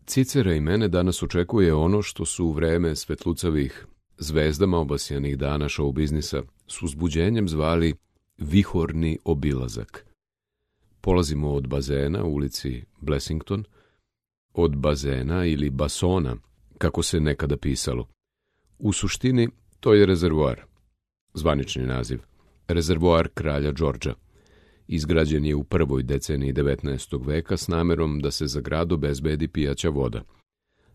Cicera i mene danas očekuje ono što su u vreme svetlucavih zvezdama obasjanih dana show biznisa s uzbuđenjem zvali vihorni obilazak. Polazimo od bazena u ulici Blessington, od bazena ili basona, kako se nekada pisalo. U suštini to je rezervoar, zvanični naziv, rezervoar kralja Đorđa. Izgrađen je u prvoj deceniji 19. veka s namerom da se za grad obezbedi pijaća voda.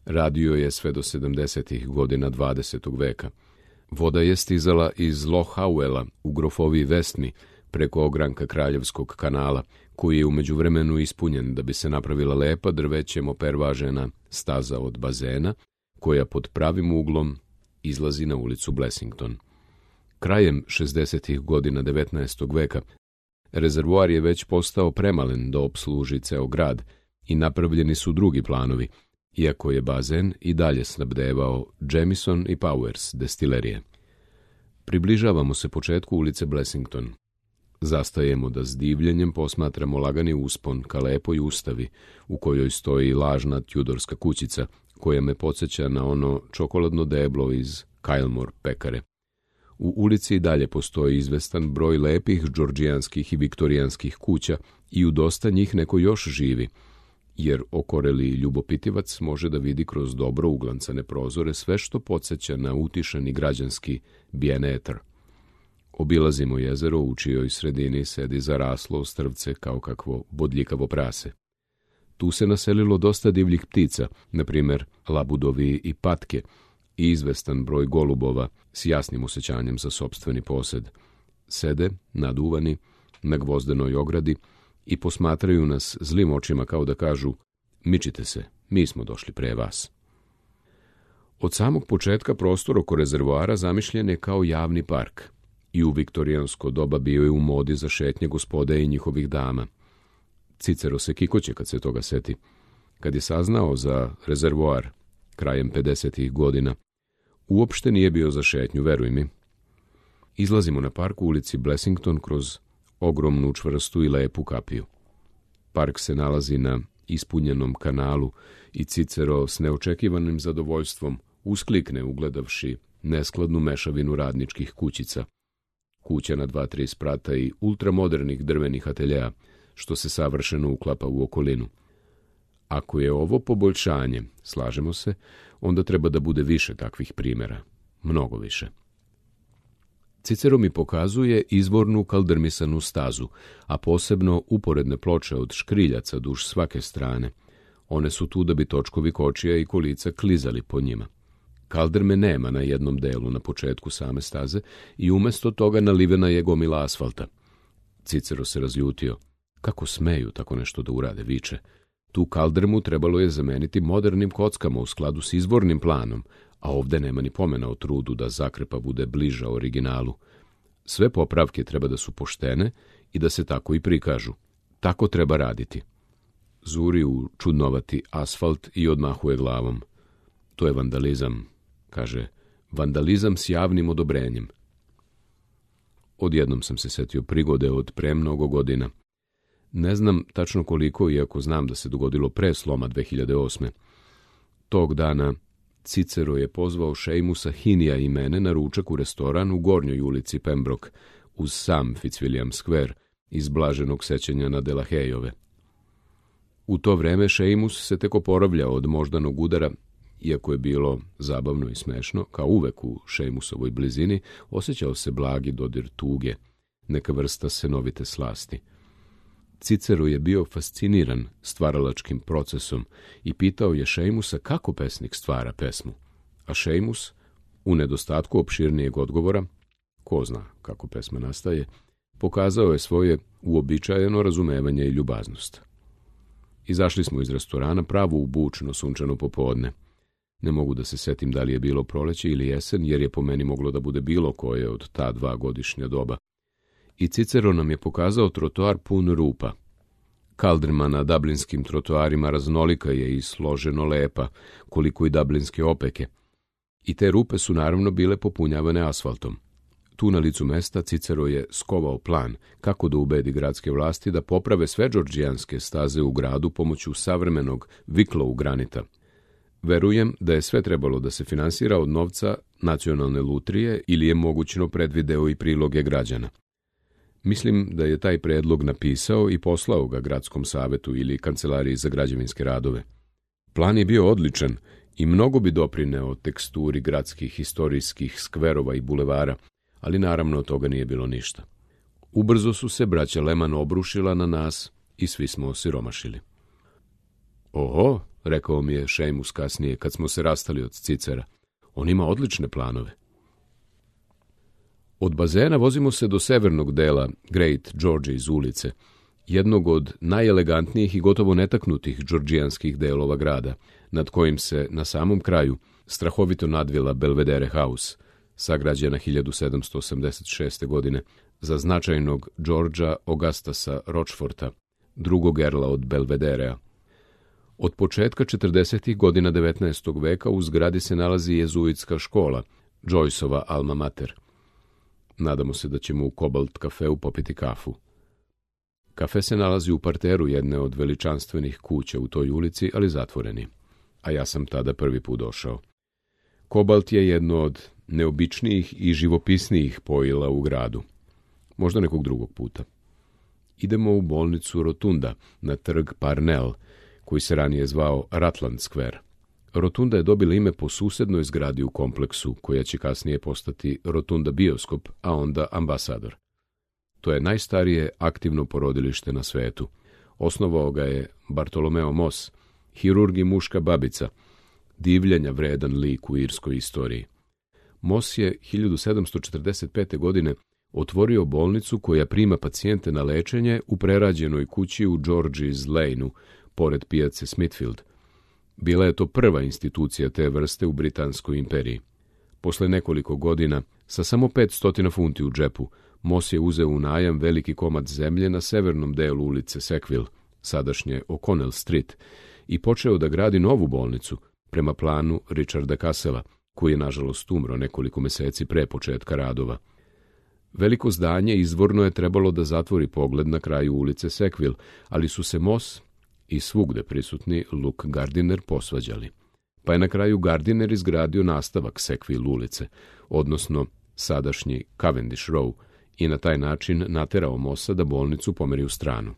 Radio je sve do 70. godina 20. veka. Voda je stizala iz Lochauela u grofoviji Vestni preko ogranka Kraljevskog kanala, koji je u međuvremenu ispunjen da bi se napravila lepa drvećem opervažena staza od bazena, koja pod pravim uglom izlazi na ulicu Blessington. Krajem 60. godina 19. veka rezervoar je već postao premalen da opsluži ceo grad i napravljeni su drugi planovi, iako je bazen i dalje snabdevao Jamieson i Powers destilerije. Približavamo se početku ulice Blessington. Zastajemo da s divljenjem posmatramo lagani uspon ka lepoj ustavi, u kojoj stoji lažna tjudorska kućica, koja me podsjeća na ono čokoladno deblo iz Kylemore pekare. U ulici i dalje postoji izvestan broj lepih džordžijanskih i viktorijanskih kuća i u dosta njih neko još živi, jer okoreli ljubopitivac može da vidi kroz dobro uglancane prozore sve što podsjeća na utišani građanski bien-être. Obilazimo jezero u čijoj sredini sedi zaraslo strvce kao kakvo bodljikavo prase. Tu se naselilo dosta divljih ptica, na primjer labudovi i patke, i izvestan broj golubova s jasnim osjećanjem za sopstveni posed. Sede, naduvani, na gvozdenoj ogradi i posmatraju nas zlim očima kao da kažu: mičite se, mi smo došli pre vas. Od samog početka prostor oko rezervoara zamišljen je kao javni park i u viktorijansko doba bio je u modi za šetnje gospode i njihovih dama. Cicero se kikoće kad se toga seti. Kad je saznao za rezervoar krajem 50. godina, uopšte nije bio za šetnju, veruj mi. Izlazimo na park u ulici Blessington kroz ogromnu čvrstu i lepu kapiju. Park se nalazi na ispunjenom kanalu i Cicero s neočekivanim zadovoljstvom usklikne ugledavši neskladnu mešavinu radničkih kućica, kuća na 2-3 sprata i ultramodernih drvenih ateljeja, što se savršeno uklapa u okolinu. Ako je ovo poboljšanje, slažemo se, onda treba da bude više takvih primjera, mnogo više. Cicero mi pokazuje izvornu kaldrmisanu stazu, a posebno uporedne ploče od škriljaca duž svake strane. One su tu da bi točkovi kočija i kolica klizali po njima. Kaldrme nema na jednom delu na početku same staze i umjesto toga nalivena je gomila asfalta. Cicero se razljutio. Kako smeju tako nešto da urade, viče. Tu kaldrmu trebalo je zameniti modernim kockama u skladu s izvornim planom, a ovde nema ni pomena o trudu da zakrepa bude bliža originalu. Sve popravke treba da su poštene i da se tako i prikažu. Tako treba raditi. Zuri u čudnovati asfalt i odmahuje glavom. To je vandalizam, kaže, vandalizam s javnim odobrenjem. Odjednom sam se setio prigode od pre mnogo godina. Ne znam tačno koliko, iako znam da se dogodilo pre sloma 2008. Tog dana Cicero je pozvao Šejmusa Hinija i mene na ručak u restoran u Gornjoj ulici Pembroke, uz sam Fitzwilliam Square, iz blaženog sećanja na Delahejove. U to vreme Šejmus se tek oporavljao od moždanog udara, iako je bilo zabavno i smešno, kao uvek u Šejmusovoj blizini, osjećao se blagi dodir tuge, neka vrsta senovite slasti. Cicero je bio fasciniran stvaralačkim procesom i pitao je Šejmusa kako pesnik stvara pesmu. A Šejmus, u nedostatku opširnijeg odgovora, ko zna kako pesma nastaje, pokazao je svoje uobičajeno razumevanje i ljubaznost. Izašli smo iz restorana pravo u bučno sunčano popodne. Ne mogu da se setim da li je bilo proleće ili jesen, jer je po meni moglo da bude bilo koje od ta 2 godišnja doba. I Cicero nam je pokazao trotoar pun rupa. Kaldrma na dublinskim trotoarima raznolika je i složeno lepa, koliko i dublinske opeke. I te rupe su naravno bile popunjavane asfaltom. Tu na licu mesta Cicero je skovao plan kako da ubedi gradske vlasti da poprave sve džordžijanske staze u gradu pomoću savremenog Wicklow granita. Verujem da je sve trebalo da se finansira od novca nacionalne lutrije ili je mogućno predvideo i priloge građana. Mislim da je taj predlog napisao i poslao ga gradskom savetu ili kancelariji za građevinske radove. Plan je bio odličan i mnogo bi doprineo teksturi gradskih istorijskih skverova i bulevara, ali naravno od toga nije bilo ništa. Ubrzo su se braća Lehman obrušila na nas i svi smo osiromašili. Oho, rekao mi je Seamus kasnije kad smo se rastali od Cicera. On ima odlične planove. Od bazena vozimo se do severnog dela Great George's ulice, jednog od najelegantnijih i gotovo netaknutih džordžijanskih delova grada, nad kojim se na samom kraju strahovito nadvila Belvedere House, sagrađena 1786. godine za značajnog Georgea Augustasa Rocheforta, drugog erla od Belvederea. Od početka 40. godina 19. veka u zgradi se nalazi jezuitska škola, Joyceova alma mater. Nadamo se da ćemo u Cobalt kafeu popiti kafu. Kafe se nalazi u parteru jedne od veličanstvenih kuća u toj ulici, ali zatvoreni. A ja sam tada prvi put došao. Cobalt je jedno od neobičnijih i živopisnijih pojila u gradu. Možda nekog drugog puta. Idemo u bolnicu Rotunda, na trg Parnell, koji se ranije zvao Rutland Square. Rotunda je dobila ime po susednoj zgradi u kompleksu, koja će kasnije postati Rotunda bioskop, a onda ambasador. To je najstarije aktivno porodilište na svetu. Osnovao ga je Bartolomeo Moss, hirurg i muška babica, divljenja vredan lik u irskoj istoriji. Moss je 1745. godine otvorio bolnicu koja prima pacijente na lečenje u prerađenoj kući u George's Laneu, pored pijace Smithfield. Bila je to prva institucija te vrste u Britanskoj imperiji. Posle nekoliko godina, sa samo 500 funti u džepu, Moss je uzeo u najam veliki komad zemlje na severnom delu ulice Sackville, sadašnje O'Connell Street, i počeo da gradi novu bolnicu prema planu Richarda Cassela, koji je nažalost umro nekoliko meseci pre početka radova. Veliko zdanje izvorno je trebalo da zatvori pogled na kraju ulice Sackville, ali su se Moss i svugde prisutni Luke Gardiner posvađali. Pa je na kraju Gardiner izgradio nastavak Sackville ulice, odnosno sadašnji Cavendish Row, i na taj način naterao Mossa da bolnicu pomeri u stranu.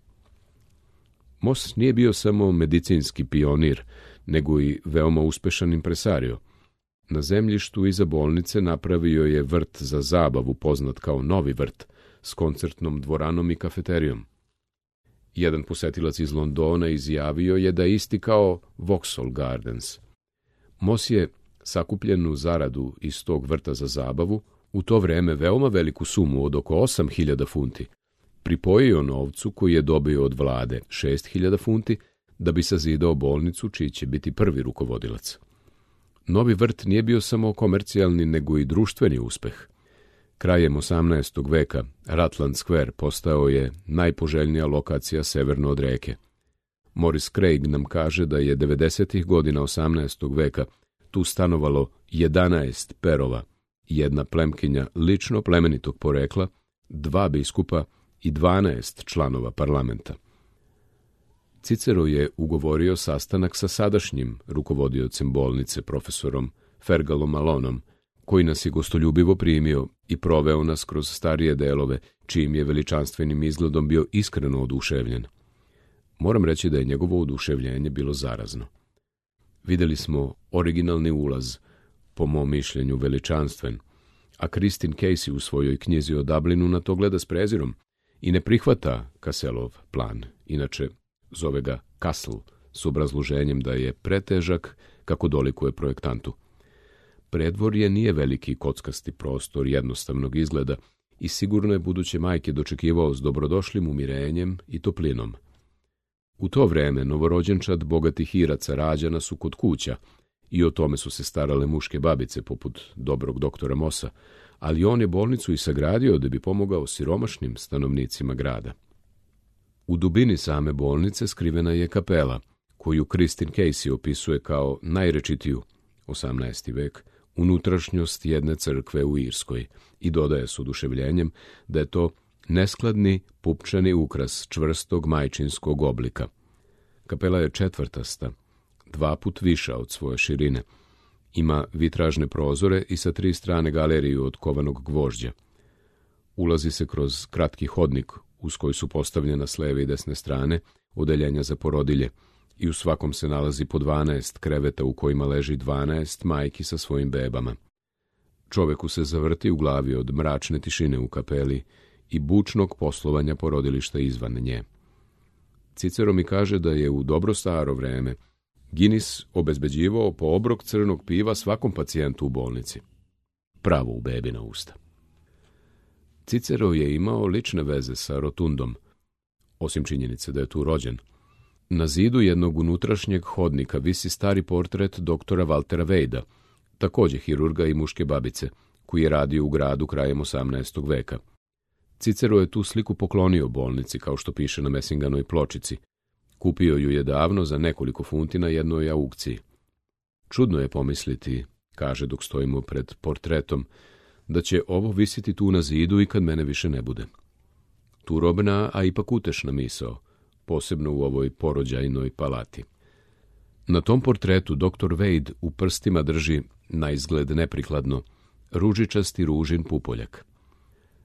Moss nije bio samo medicinski pionir, nego i veoma uspešan impresario. Na zemljištu iza bolnice napravio je vrt za zabavu poznat kao Novi vrt, s koncertnom dvoranom i kafeterijom. Jedan posetilac iz Londona izjavio je da je isti kao Vauxhall Gardens. Moss je sakupljenu zaradu iz tog vrta za zabavu, u to vreme veoma veliku sumu od oko 8.000 funti, pripojio novcu koji je dobio od vlade 6.000 funti da bi sazidao bolnicu čiji će biti prvi rukovodilac. Novi vrt nije bio samo komercijalni nego i društveni uspeh. Krajem 18. veka Rutland Square postao je najpoželjnija lokacija severno od reke. Morris Craig nam kaže da je 90. godina 18. veka tu stanovalo 11 perova, jedna plemkinja lično plemenitog porekla, 2 biskupa i 12 članova parlamenta. Cicero je ugovorio sastanak sa sadašnjim rukovodiocem bolnice, profesorom Fergalom Malonom, koji nas je gostoljubivo primio i proveo nas kroz starije delove, čijim je veličanstvenim izgledom bio iskreno oduševljen. Moram reći da je njegovo oduševljenje bilo zarazno. Videli smo originalni ulaz, po mom mišljenju veličanstven, a Christine Casey u svojoj knjizi o Dublinu na to gleda s prezirom i ne prihvata Casselov plan, inače zove ga Castle, s obrazloženjem da je pretežak kako dolikuje projektantu. Predvorje nije veliki kockasti prostor jednostavnog izgleda i sigurno je buduće majke dočekivao s dobrodošlim umirenjem i toplinom. U to vreme novorođenčad bogatih Iraca rađana su kod kuća i o tome su se starale muške babice poput dobrog doktora Mossa, ali on je bolnicu i sagradio da bi pomogao siromašnim stanovnicima grada. U dubini same bolnice skrivena je kapela, koju Christine Casey opisuje kao najrečitiju, 18. vek, unutrašnjost jedne crkve u Irskoj i dodaje s oduševljenjem da je to neskladni pupčani ukras čvrstog majčinskog oblika. Kapela je četvrtasta, 2 put viša od svoje širine. Ima vitražne prozore i sa 3 strane galeriju od kovanog gvožđa. Ulazi se kroz kratki hodnik uz koji su postavljena s leve i desne strane odeljenja za porodilje i u svakom se nalazi po 12 kreveta u kojima leži 12 majki sa svojim bebama. Čoveku se zavrti u glavi od mračne tišine u kapeli i bučnog poslovanja porodilišta izvan nje. Cicero mi kaže da je u dobro staro vreme Guinness obezbeđivao po obrok crnog piva svakom pacijentu u bolnici. Pravo u bebina usta. Cicero je imao lične veze sa Rotundom, osim činjenice da je tu rođen. Na zidu jednog unutrašnjeg hodnika visi stari portret doktora Waltera Weida, također hirurga i muške babice, koji je radio u gradu krajem 18. veka. Cicero je tu sliku poklonio bolnici, kao što piše na Messinganoj pločici. Kupio ju je davno za nekoliko funti na jednoj aukciji. Čudno je pomisliti, kaže dok stojimo pred portretom, da će ovo visiti tu na zidu i kad mene više ne bude. Turobna, a ipak utešna misao, posebno u ovoj porođajnoj palati. Na tom portretu dr. Wade u prstima drži, na izgled neprikladno, ružičasti ružin pupoljak.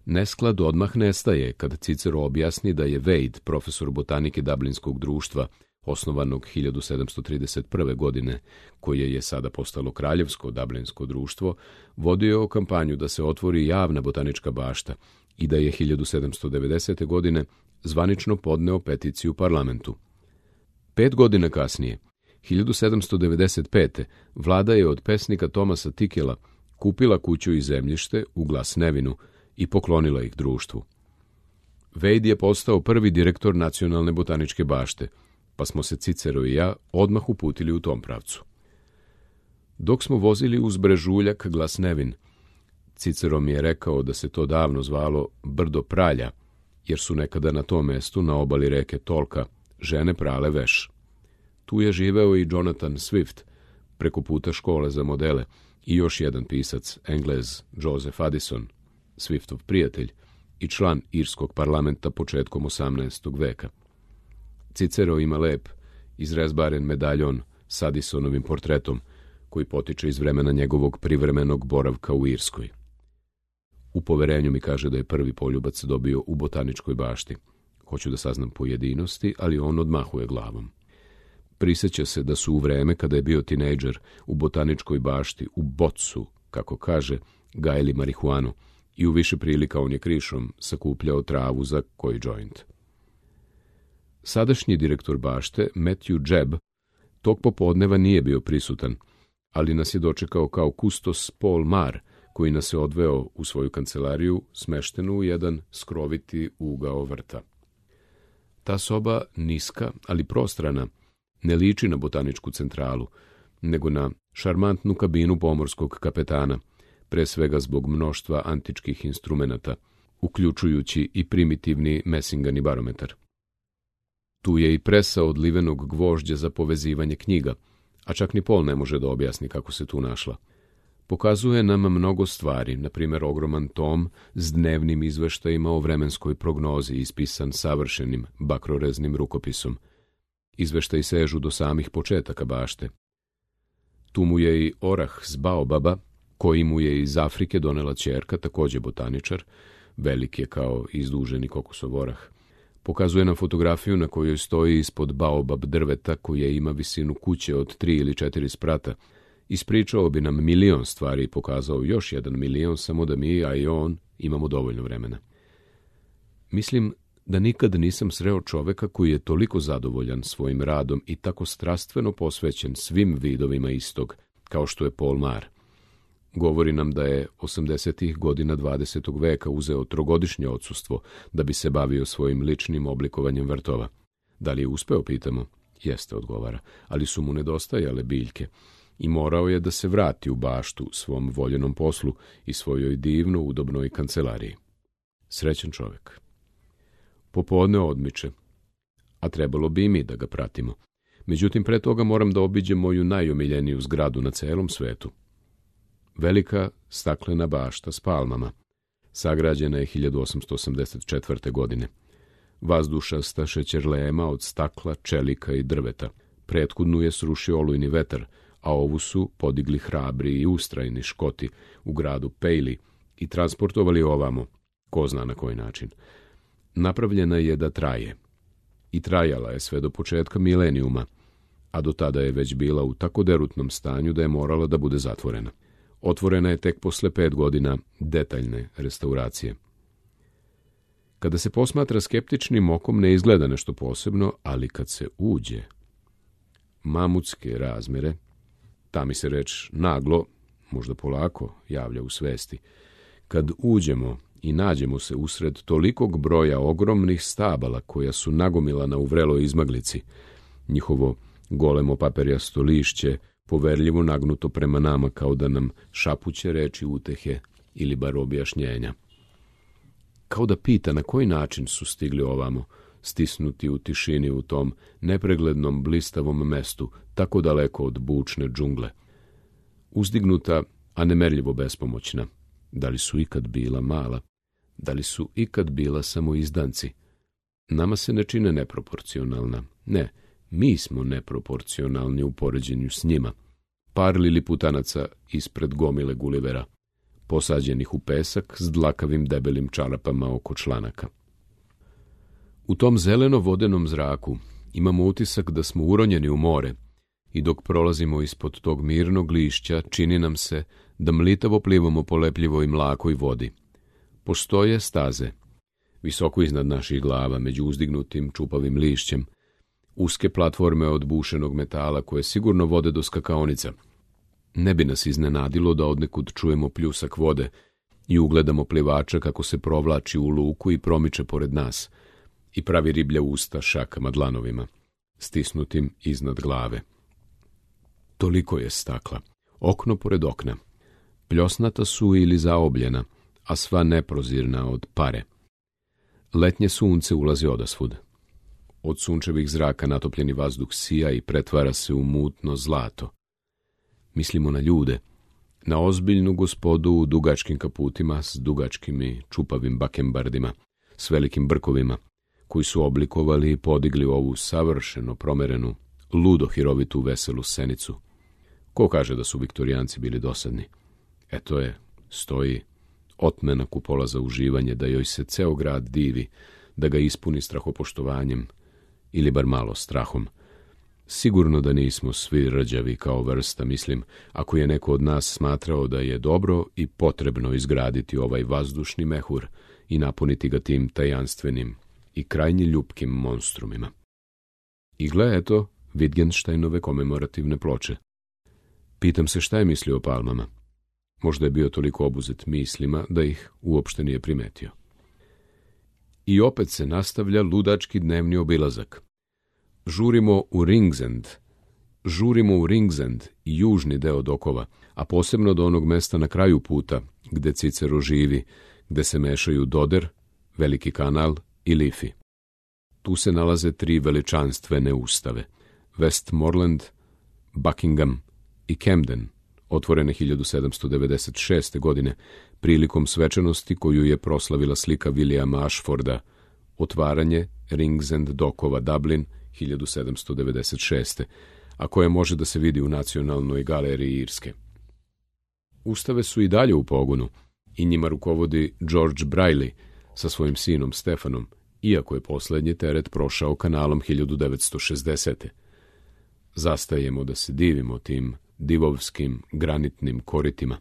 Nesklad odmah nestaje kad Cicero objasni da je Wade, profesor botanike Dublinskog društva, osnovanog 1731. godine, koje je sada postalo Kraljevsko Dublinsko društvo, vodio kampanju da se otvori javna botanička bašta i da je 1790. godine zvanično podneo peticiju parlamentu. 5 godina kasnije, 1795. vlada je od pesnika Thomasa Tickella kupila kuću i zemljište u Glasnevinu i poklonila ih društvu. Wade je postao prvi direktor Nacionalne botaničke bašte, pa smo se Cicero i ja odmah uputili u tom pravcu. Dok smo vozili uz brežuljak Glasnevin, Cicero mi je rekao da se to davno zvalo Brdo pralja, jer su nekada na tom mestu, na obali reke Tolka, žene prale veš. Tu je živeo i Jonathan Swift, preko puta škole za modele, i još jedan pisac, Englez Joseph Addison, Swiftov prijatelj i član irskog parlamenta početkom 18. veka. Cicero ima lep, izrezbaren medaljon s Addisonovim portretom, koji potiče iz vremena njegovog privremenog boravka u Irskoj. U poverenju mi kaže da je prvi poljubac dobio u botaničkoj bašti. Hoću da saznam pojedinosti, ali on odmahuje glavom. Prisjeća se da su u vreme kada je bio tinejdžer u botaničkoj bašti u Bocu, kako kaže, gajili marihuanu i u više prilika on je krišom sakupljao travu za koji džoint. Sadašnji direktor bašte, Matthew Jebb, tog popodneva nije bio prisutan, ali nas je dočekao kao kustos Paul Marr, koji nas je odveo u svoju kancelariju, smeštenu u jedan skroviti ugao vrta. Ta soba, niska, ali prostrana, ne liči na botaničku centralu, nego na šarmantnu kabinu pomorskog kapetana, pre svega zbog mnoštva antičkih instrumenata, uključujući i primitivni Messingani barometar. Tu je i presa od livenog gvožđa za povezivanje knjiga, a čak ni Paul ne može da objasni kako se tu našla. Pokazuje nam mnogo stvari, na primjer ogroman tom s dnevnim izveštajima o vremenskoj prognozi ispisan savršenim bakroreznim rukopisom. Izveštaji sežu do samih početaka bašte. Tu mu je i orah s baobaba, koji mu je iz Afrike donela ćerka, također botaničar, velik je kao izduženi kokosov orah. Pokazuje nam fotografiju na kojoj stoji ispod baobab drveta koje ima visinu kuće od 3 ili 4 sprata. Ispričao bi nam 1.000.000 stvari i pokazao još 1.000.000, samo da mi, a i on, imamo dovoljno vremena. Mislim da nikad nisam sreo čoveka koji je toliko zadovoljan svojim radom i tako strastveno posvećen svim vidovima istog, kao što je Paul Marr. Govori nam da je 80. godina 20. veka uzeo 3-godišnje odsustvo da bi se bavio svojim ličnim oblikovanjem vrtova. Da li je uspeo, pitamo? Jeste, odgovara, ali su mu nedostajale biljke i morao je da se vrati u baštu svom voljenom poslu i svojoj divno udobnoj kancelariji. Srećan čovek. Popodne odmiče, a trebalo bi i mi da ga pratimo. Međutim, pre toga moram da obiđem moju najomiljeniju zgradu na celom svetu. Velika staklena bašta s palmama. Sagrađena je 1884. godine. Vazdušasta šećerlema od stakla, čelika i drveta. Prethodnu je srušio olujni vetar, a ovu su podigli hrabri i ustrajni Škoti u gradu Pejli i transportovali ovamo, ko zna na koji način. Napravljena je da traje. I trajala je sve do početka milenijuma, a do tada je već bila u tako derutnom stanju da je morala da bude zatvorena. Otvorena je tek posle 5 godina detaljne restauracije. Kada se posmatra skeptičnim okom ne izgleda nešto posebno, ali kad se uđe, mamutske razmere, ta mi se reč naglo, možda polako, javlja u svesti. Kad uđemo i nađemo se usred tolikog broja ogromnih stabala koja su nagomilana u vreloj izmaglici, njihovo golemo paperjasto lišće poverljivo nagnuto prema nama kao da nam šapuće reči utehe ili bar objašnjenja. Kao da pita na koji način su stigli ovamo, stisnuti u tišini u tom nepreglednom blistavom mestu, tako daleko od bučne džungle. Uzdignuta, a nemerljivo bespomoćna. Da li su ikad bila mala? Da li su ikad bila samo izdanci? Nama se ne čine neproporcionalna. Ne, mi smo neproporcionalni u poređenju s njima. Par liliputanaca ispred gomile Gulivera, posađenih u pesak s dlakavim debelim čarapama oko članaka. U tom zeleno-vodenom zraku imamo utisak da smo uronjeni u more i dok prolazimo ispod tog mirnog lišća čini nam se da mlitavo plivamo po lepljivoj mlakoj vodi. Postoje staze, visoko iznad naših glava, među uzdignutim čupavim lišćem, uske platforme od bušenog metala koje sigurno vode do skakaonica. Ne bi nas iznenadilo da odnekud čujemo pljusak vode i ugledamo plivača kako se provlači u luku i promiče pored nas i pravi riblja usta šakama dlanovima, stisnutim iznad glave. Toliko je stakla, okno pored okna. Pljosnata su ili zaobljena, a sva neprozirna od pare. Letnje sunce ulazi odasvud. Od sunčevih zraka natopljeni vazduh sija i pretvara se u mutno zlato. Mislimo na ljude, na ozbiljnu gospodu u dugačkim kaputima s dugačkim i čupavim bakembardima, s velikim brkovima, koji su oblikovali i podigli ovu savršeno promerenu, ludo hirovitu veselu scenicu. Ko kaže da su viktorijanci bili dosadni? Eto je, stoji, otmena kupola za uživanje, da joj se ceo grad divi, da ga ispuni strahopoštovanjem, ili bar malo strahom. Sigurno da nismo svi rđavi kao vrsta, mislim, ako je neko od nas smatrao da je dobro i potrebno izgraditi ovaj vazdušni mehur i napuniti ga tim tajanstvenim i krajnje ljupkim monstrumima. I gle, eto, Wittgensteinove komemorativne ploče. Pitam se šta je mislio o palmama. Možda je bio toliko obuzet mislima da ih uopšte nije primetio. I opet se nastavlja ludački dnevni obilazak. Žurimo u Ringsend i južni deo dokova, a posebno do onog mesta na kraju puta, gde Cicero živi, gde se mešaju Doder, Veliki kanal i Liffey. Tu se nalaze 3 veličanstvene ustave, Westmoreland, Buckingham i Camden, otvorene 1796. godine, prilikom svečanosti koju je proslavila slika Williama Ashforda, otvaranje Ringsend dokova Dublin 1796. a koje može da se vidi u Nacionalnoj galeriji Irske. Ustave su i dalje u pogonu i njima rukovodi George Braille sa svojim sinom Stefanom, iako je poslednji teret prošao kanalom 1960. Zastajemo da se divimo tim divovskim granitnim koritima,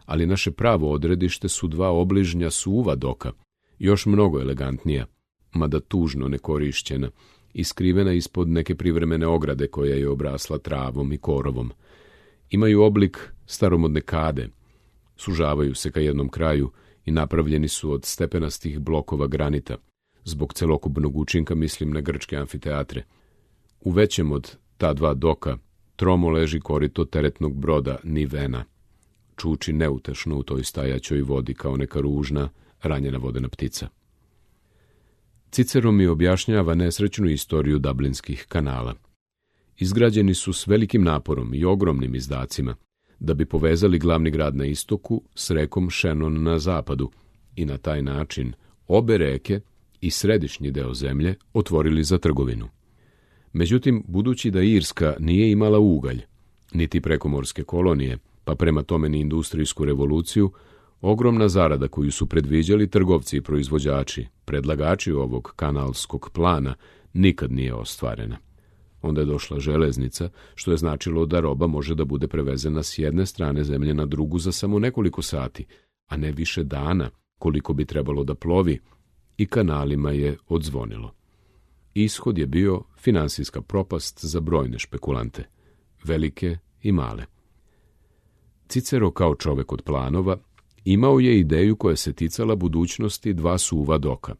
ali naše pravo odredište su 2 obližnja suva doka, još mnogo elegantnija, mada tužno nekorišćena i skrivena ispod neke privremene ograde koja je obrasla travom i korovom. Imaju oblik staromodne kade, sužavaju se ka jednom kraju i napravljeni su od stepenastih blokova granita. Zbog celokupnog učinka mislim na grčke amfiteatre. U većem od ta 2 doka tromo leži korito teretnog broda Nivena. Čuči neutešno u toj stajaćoj vodi kao neka ružna, ranjena vodena ptica. Cicero mi objašnjava nesrećnu istoriju dublinskih kanala. Izgrađeni su s velikim naporom i ogromnim izdacima, da bi povezali glavni grad na istoku s rekom Shannon na zapadu i na taj način obe reke i središnji deo zemlje otvorili za trgovinu. Međutim, budući da Irska nije imala ugalj, niti prekomorske kolonije, pa prema tome ni industrijsku revoluciju, ogromna zarada koju su predviđali trgovci i proizvođači, predlagači ovog kanalskog plana, nikad nije ostvarena. Onda je došla železnica, što je značilo da roba može da bude prevezena s jedne strane zemlje na drugu za samo nekoliko sati, a ne više dana, koliko bi trebalo da plovi, i kanalima je odzvonilo. Ishod je bio finansijska propast za brojne špekulante, velike i male. Cicero, kao čovek od planova, imao je ideju koja se ticala budućnosti dva suva doka.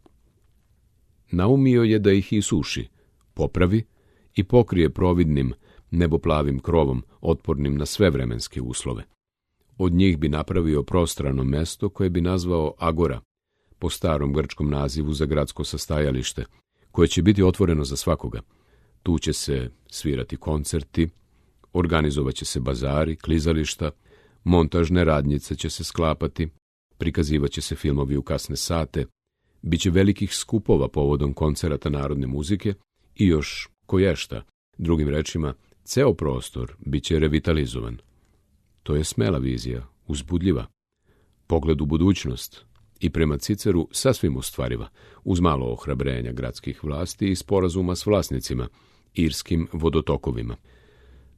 Naumio je da ih isuši, popravi i pokrije providnim, neboplavim krovom, otpornim na sve vremenske uslove. Od njih bi napravio prostrano mesto koje bi nazvao Agora, po starom grčkom nazivu za gradsko sastajalište, koje će biti otvoreno za svakoga. Tu će se svirati koncerti, organizovaće se bazari, klizališta, montažne radnjice će se sklapati, prikazivaće se filmovi u kasne sate, biće velikih skupova povodom koncerata narodne muzike i još koješta, drugim rečima, ceo prostor biće revitalizovan. To je smela vizija, uzbudljiva, pogled u budućnost i prema Ciceru sasvim ostvariva, uz malo ohrabrenja gradskih vlasti i sporazuma s vlasnicima, irskim vodotokovima.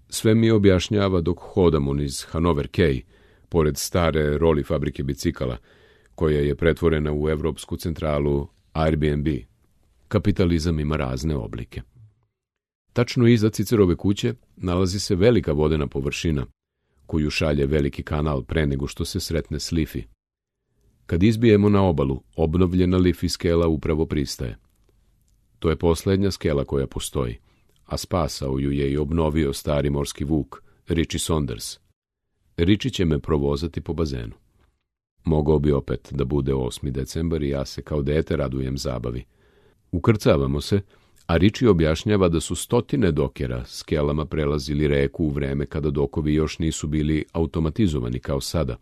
Sve mi objašnjava dok hodamo niz Hanover Quay, pored stare roli fabrike bicikala, koja je pretvorena u evropsku centralu Airbnb. Kapitalizam ima razne oblike. Tačno iza Cicerove kuće nalazi se velika vodena površina, koju šalje veliki kanal pre nego što se sretne s Lifi. Kad izbijemo na obalu, obnovljena Lifi skela upravo pristaje. To je posljednja skela koja postoji, a spasao ju je i obnovio stari morski vuk, Richie Saunders. Richie će me provozati po bazenu. Mogao bi opet da bude 8. decembar i ja se kao dete radujem zabavi. Ukrcavamo se, a Richie objašnjava da su stotine dokera skelama prelazili reku u vreme kada dokovi još nisu bili automatizovani kao sada.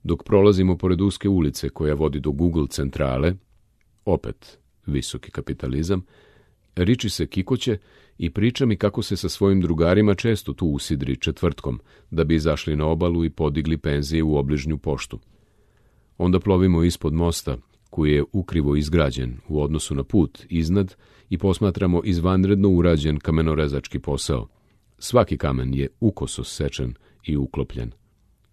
Dok prolazimo pored uske ulice koja vodi do Google centrale, opet visoki kapitalizam, Richie se kikoće i priča mi kako se sa svojim drugarima često tu usidri četvrtkom, da bi izašli na obalu i podigli penzije u obližnju poštu. Onda plovimo ispod mosta, koji je ukrivo izgrađen u odnosu na put iznad, i posmatramo izvanredno urađen kamenorezački posao. Svaki kamen je ukoso sečen i uklopljen.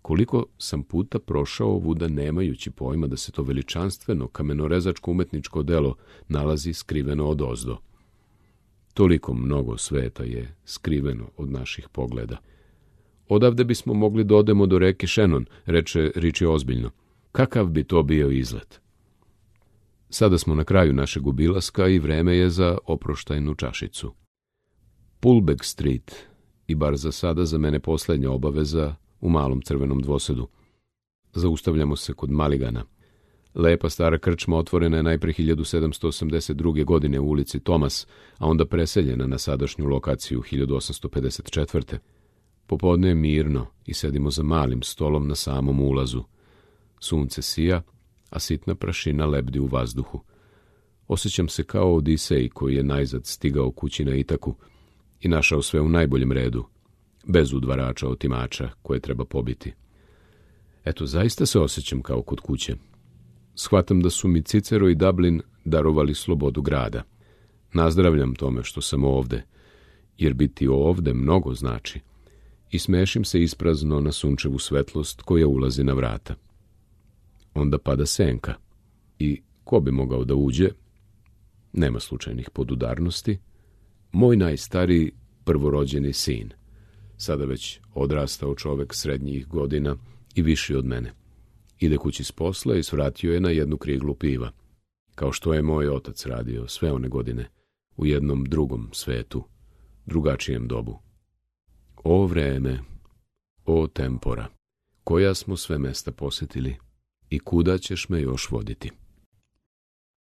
Koliko sam puta prošao ovuda nemajući pojma da se to veličanstveno kamenorezačko umetničko delo nalazi skriveno odozdo. Toliko mnogo sveta je skriveno od naših pogleda. Odavde bismo mogli da odemo do reke Shannon, reče Richie ozbiljno. Kakav bi to bio izlet? Sada smo na kraju našeg obilaska i vreme je za oproštajnu čašicu. Pulbeck Street, i bar za sada za mene posljednja obaveza u malom crvenom dvosedu. Zaustavljamo se kod Maligana. Lepa stara krčma otvorena je najpre 1782. godine u ulici Thomas, a onda preseljena na sadašnju lokaciju 1854. Popodne je mirno i sedimo za malim stolom na samom ulazu. Sunce sija, a sitna prašina lebdi u vazduhu. Osjećam se kao Odisej koji je najzad stigao kući na Itaku i našao sve u najboljem redu, bez udvarača otimača koje treba pobiti. Eto, zaista se osjećam kao kod kuće. Shvatam da su mi Cicero i Dublin darovali slobodu grada. Nazdravljam tome što sam ovde, jer biti ovde mnogo znači, i smešim se isprazno na sunčevu svetlost koja ulazi na vrata. Onda pada senka i ko bi mogao da uđe? Nema slučajnih podudarnosti. Moj najstariji prvorođeni sin, sada već odrastao čovek srednjih godina i viši od mene. Ide kući s posla i svratio je na jednu kriglu piva, kao što je moj otac radio sve one godine, u jednom drugom svetu, drugačijem dobu. O vreme, o tempora, koja smo sve mesta posjetili i kuda ćeš me još voditi?